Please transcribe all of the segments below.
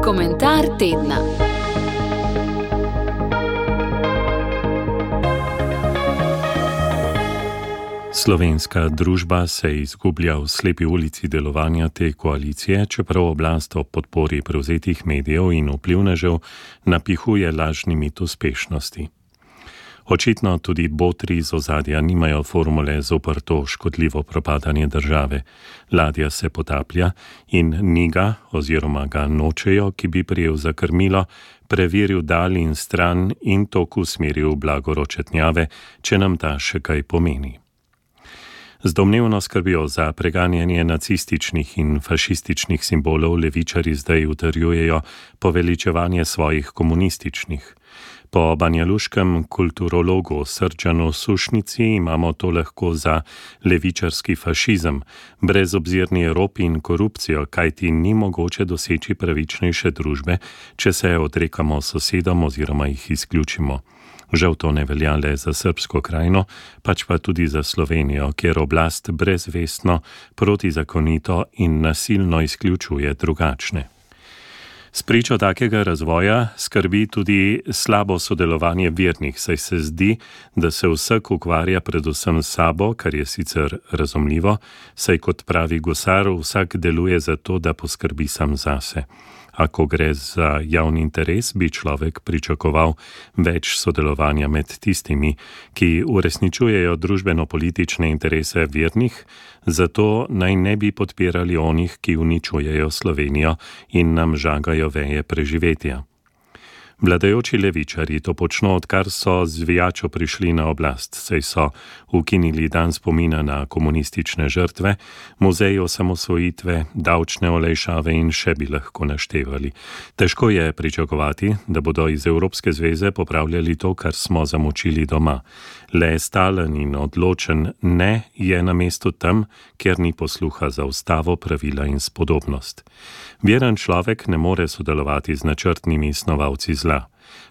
Komentar tedna. Slovenska družba se izgublja v slepi ulici delovanja te koalicije, čeprav oblast ob podpori prevzetih medijev in vplivnežev napihuje lažni mit uspešnosti. Očitno tudi botri iz ozadja nimajo formule zoper to škodljivo propadanje države. Ladja se potaplja in ni ga, oziroma ga nočejo, ki bi prijel za krmilo, preveril dal in stran in tok usmeril v blago ročetnjave, če nam ta še kaj pomeni. Z domnevno skrbijo za preganjanje nacističnih in fašističnih simbolov levičarji zdaj utrjujejo poveličevanje svojih komunističnih. Po banjaluškem kulturologu Srdžanu Sušnici imamo to lahko za levičarski fašizem, brezobzirni rop in korupcijo, kajti ni mogoče doseči pravičnejše družbe, če se odrekamo sosedom oziroma jih izključimo. Žal to ne velja le za srbsko krajino, pač pa tudi za Slovenijo, kjer oblast brezvestno, protizakonito in nasilno izključuje drugačne. Spričo takega razvoja skrbi tudi slabo sodelovanje vernih, saj se zdi, da se vsak ukvarja predvsem s sabo, kar je sicer razumljivo, saj kot pravi Gosar, vsak deluje za to, da poskrbi sam zase. A ko gre za javni interes, bi človek pričakoval več sodelovanja med tistimi, ki uresničujejo družbeno-politične interese vernih, zato naj ne bi podpirali onih, ki uničujejo Slovenijo in nam žagajo veje preživetja. Vladajoči levičarji to počno, odkar so z zvijačo prišli na oblast, saj so ukinili dan spomina na komunistične žrtve, muzej osamosvojitve, davčne olajšave in še bi lahko naštevali. Težko je pričakovati, da bodo iz Evropske zveze popravljali to, kar smo zamočili doma. Le stalen in odločen ne je na mestu tam, kjer ni posluha za ustavo, pravila in spodobnost. Veren človek ne more sodelovati z načrtnimi snovalci zla.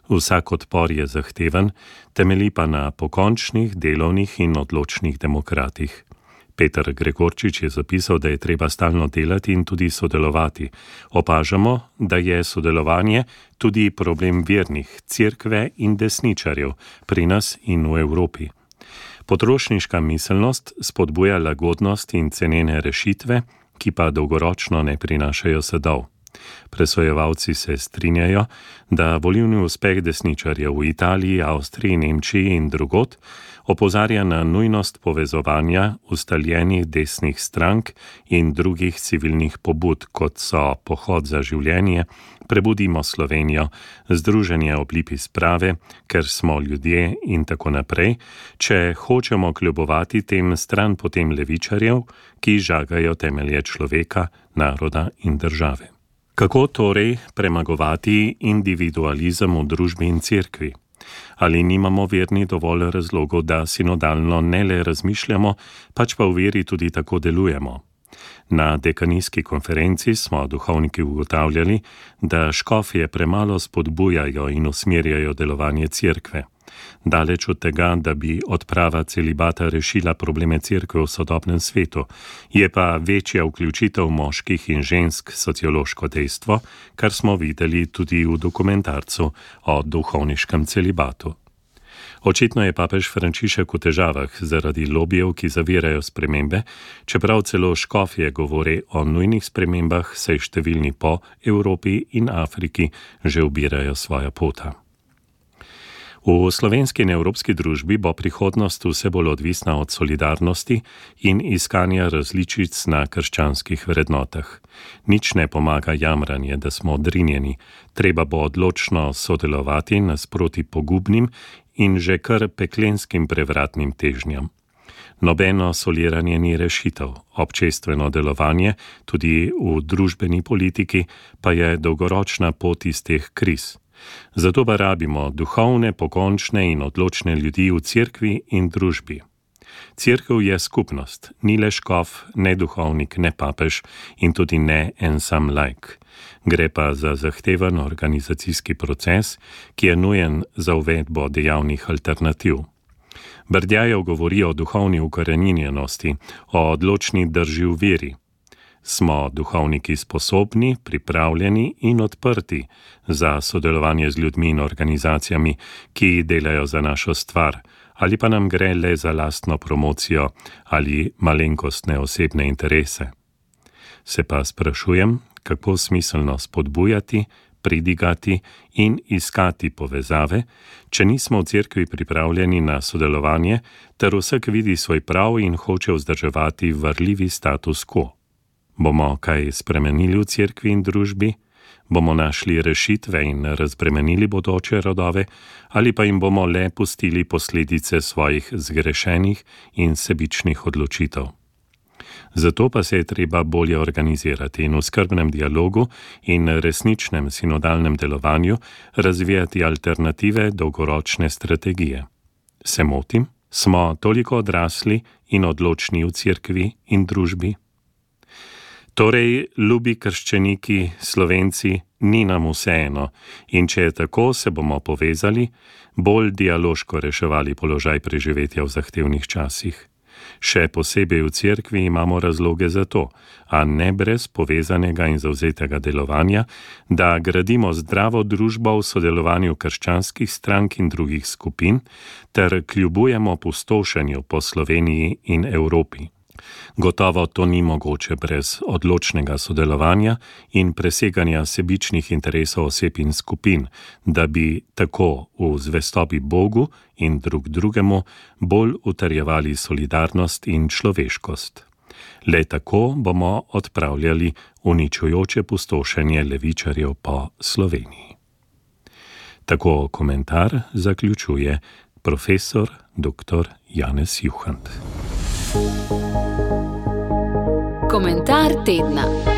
Vsak odpor je zahteven, temelji pa na pokončnih, delovnih in odločnih demokratih. Peter Gregorčič je zapisal, da je treba stalno delati in tudi sodelovati. Opažamo, da je sodelovanje tudi problem vernih, cerkve in desničarjev pri nas in v Evropi. Potrošniška miselnost spodbuja lagodnost in cenene rešitve, ki pa dolgoročno ne prinašajo sadov. Presojevalci se strinjajo, da volilni uspeh desničarjev v Italiji, Avstriji, Nemčiji in drugod opozarja na nujnost povezovanja ustaljenih desnih strank in drugih civilnih pobud, kot so Pohod za življenje, Prebudimo Slovenijo, Združenje ob lipi sprave, Ker smo ljudje in tako naprej, če hočemo kljubovati tem stran potem levičarjev, ki žagajo temelje človeka, naroda in države. Kako torej premagovati individualizem v družbi in cerkvi? Ali nimamo verni dovolj razlogov, da sinodalno ne le razmišljamo, pač pa v veri tudi tako delujemo? Na dekanijski konferenci smo duhovniki ugotavljali, da škofje premalo spodbujajo in usmerjajo delovanje cerkve. Daleč od tega, da bi odprava celibata rešila probleme cerkve v sodobnem svetu, je pa večja vključitev moških in žensk sociološko dejstvo, kar smo videli tudi v dokumentarcu o duhovniškem celibatu. Očitno je papež Frančišek v težavah zaradi lobijev, ki zavirajo spremembe, čeprav celo škofje govori o nujnih spremembah, saj številni po Evropi in Afriki že ubirajo svoja pota. V slovenski in evropski družbi bo prihodnost vse bolj odvisna od solidarnosti in iskanja različic na krščanskih vrednotah. Nič ne pomaga jamranje, da smo odrinjeni, treba bo odločno sodelovati nasproti pogubnim in že kar peklenskim prevratnim težnjam. Nobeno soliranje ni rešitev, občestveno delovanje, tudi v družbeni politiki, pa je dolgoročna pot iz teh kriz. Zato pa rabimo duhovne, pokončne in odločne ljudi v cerkvi in družbi. Cerkev je skupnost, ni le škof, ne duhovnik, ne papež in tudi ne en sam laik. Gre pa za zahteven organizacijski proces, ki je nujen za uvedbo dejavnih alternativ. Brdjajev govori o duhovni ukoreninjenosti, o odločni drži v veri. Smo duhovniki sposobni, pripravljeni in odprti za sodelovanje z ljudmi in organizacijami, ki delajo za našo stvar, ali pa nam gre le za lastno promocijo ali malenkostne osebne interese? Se pa sprašujem, kako smiselno spodbujati, pridigati in iskati povezave, če nismo v cerkvi pripravljeni na sodelovanje, ter vsak vidi svoj prav in hoče vzdrževati varljivi status quo. Bomo kaj spremenili v cerkvi in družbi? Bomo našli rešitve in razbremenili bodoče rodove, ali pa jim bomo le pustili posledice svojih zgrešenih in sebičnih odločitev? Zato pa se je treba bolje organizirati in v skrbnem dialogu in resničnem sinodalnem delovanju razvijati alternative dolgoročne strategije. Se motim? Smo toliko odrasli in odločni v cerkvi in družbi? Torej, ljubi krščeniki, Slovenci, ni nam vseeno, in če je tako, se bomo povezali, bolj dialoško reševali položaj preživetja v zahtevnih časih. Še posebej v cerkvi imamo razloge za to, a ne brez povezanega in zavzetega delovanja, da gradimo zdravo družbo v sodelovanju krščanskih strank in drugih skupin, ter kljubujemo pustošenju po Sloveniji in Evropi. Gotovo to ni mogoče brez odločnega sodelovanja in preseganja sebičnih interesov oseb in skupin, da bi tako v zvestobi Bogu in drug drugemu bolj utrjevali solidarnost in človeškost. Le tako bomo odpravljali uničujoče pustošenje levičarjev po Sloveniji. Tako komentar zaključuje profesor dr. Janez Juhant. Komentar tedna.